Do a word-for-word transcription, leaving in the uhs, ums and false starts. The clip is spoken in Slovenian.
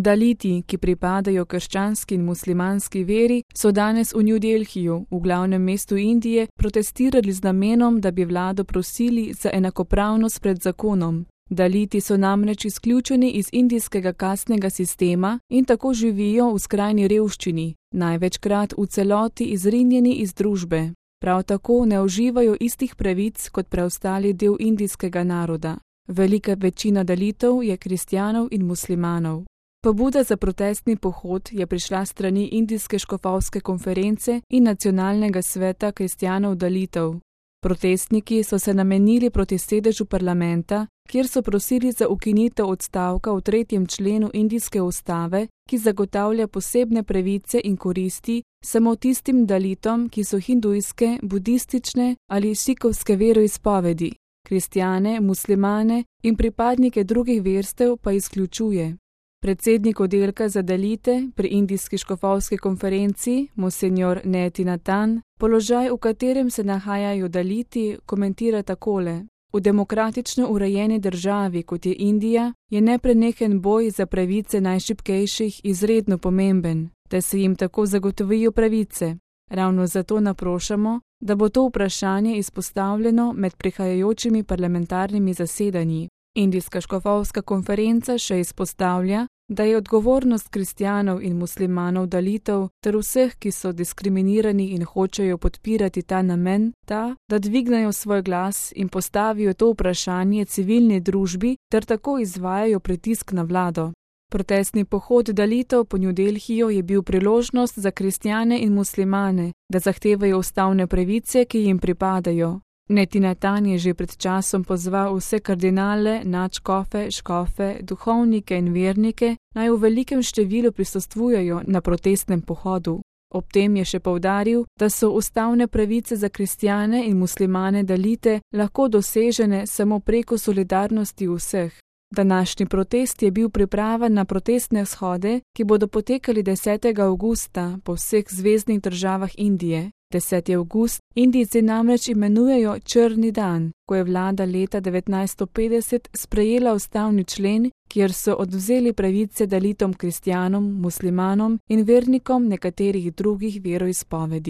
Daliti, ki pripadajo krščanski in muslimanski veri, so danes v New Delhiju, v glavnem mestu Indije, protestirali z namenom, da bi vlado prosili za enakopravnost pred zakonom. Daliti so namreč izključeni iz indijskega kastnega sistema in tako živijo v skrajni revščini, največkrat v celoti izrinjeni iz družbe. Prav tako ne uživajo istih pravic kot preostali del indijskega naroda. Velika večina Dalitov je kristjanov in muslimanov. Pobuda za protestni pohod je prišla strani Indijske škofovske konference in Nacionalnega sveta kristjanov Dalitov. Protestniki so se namenili proti sedežu parlamenta, kjer so prosili za ukinitev odstavka v tretjem členu indijske ustave, ki zagotavlja posebne pravice in koristi samo tistim Dalitom, ki so hindujske, budistične ali sikovske veroizpovedi. Kristjane, muslimane in pripadnike drugih verstev pa izključuje. Predsednik oddelka za Dalite pri Indijski škofovski konferenci, monsenjor Netina Tan, položaj, v katerem se nahajajo Daliti, komentira takole. V demokratično urejeni državi, kot je Indija, je neprenehen boj za pravice najšibkejših izredno pomemben, da se jim tako zagotovijo pravice. Ravno zato naprošamo, da bo to vprašanje izpostavljeno med prihajajočimi parlamentarnimi zasedanji. Indijska škofovska konferenca še izpostavlja, da je odgovornost kristjanov in muslimanov Dalitov ter vseh, ki so diskriminirani in hočejo podpirati ta namen, ta, da dvignejo svoj glas in postavijo to vprašanje civilni družbi ter tako izvajajo pritisk na vlado. Protestni pohod Dalitov po New Delhiju je bil priložnost za kristjane in muslimane, da zahtevajo ustavne pravice, ki jim pripadajo. Netina Tan je že pred časom pozval vse kardinale, nadškofe, škofe, duhovnike in vernike, naj v velikem številu prisostvujejo na protestnem pohodu. Ob tem je še poudaril, da so ustavne pravice za kristjane in muslimane Dalite lahko dosežene samo preko solidarnosti vseh. Današnji protest je bil priprava na protestne shode, ki bodo potekali desetega avgusta po vseh zveznih državah Indije. deseti avgust Indijci namreč imenujejo črni dan, ko je vlada leta devetnajststo petdeset sprejela ustavni člen, kjer so odvzeli pravice Dalitom kristjanom, muslimanom in vernikom nekaterih drugih veroizpovedi.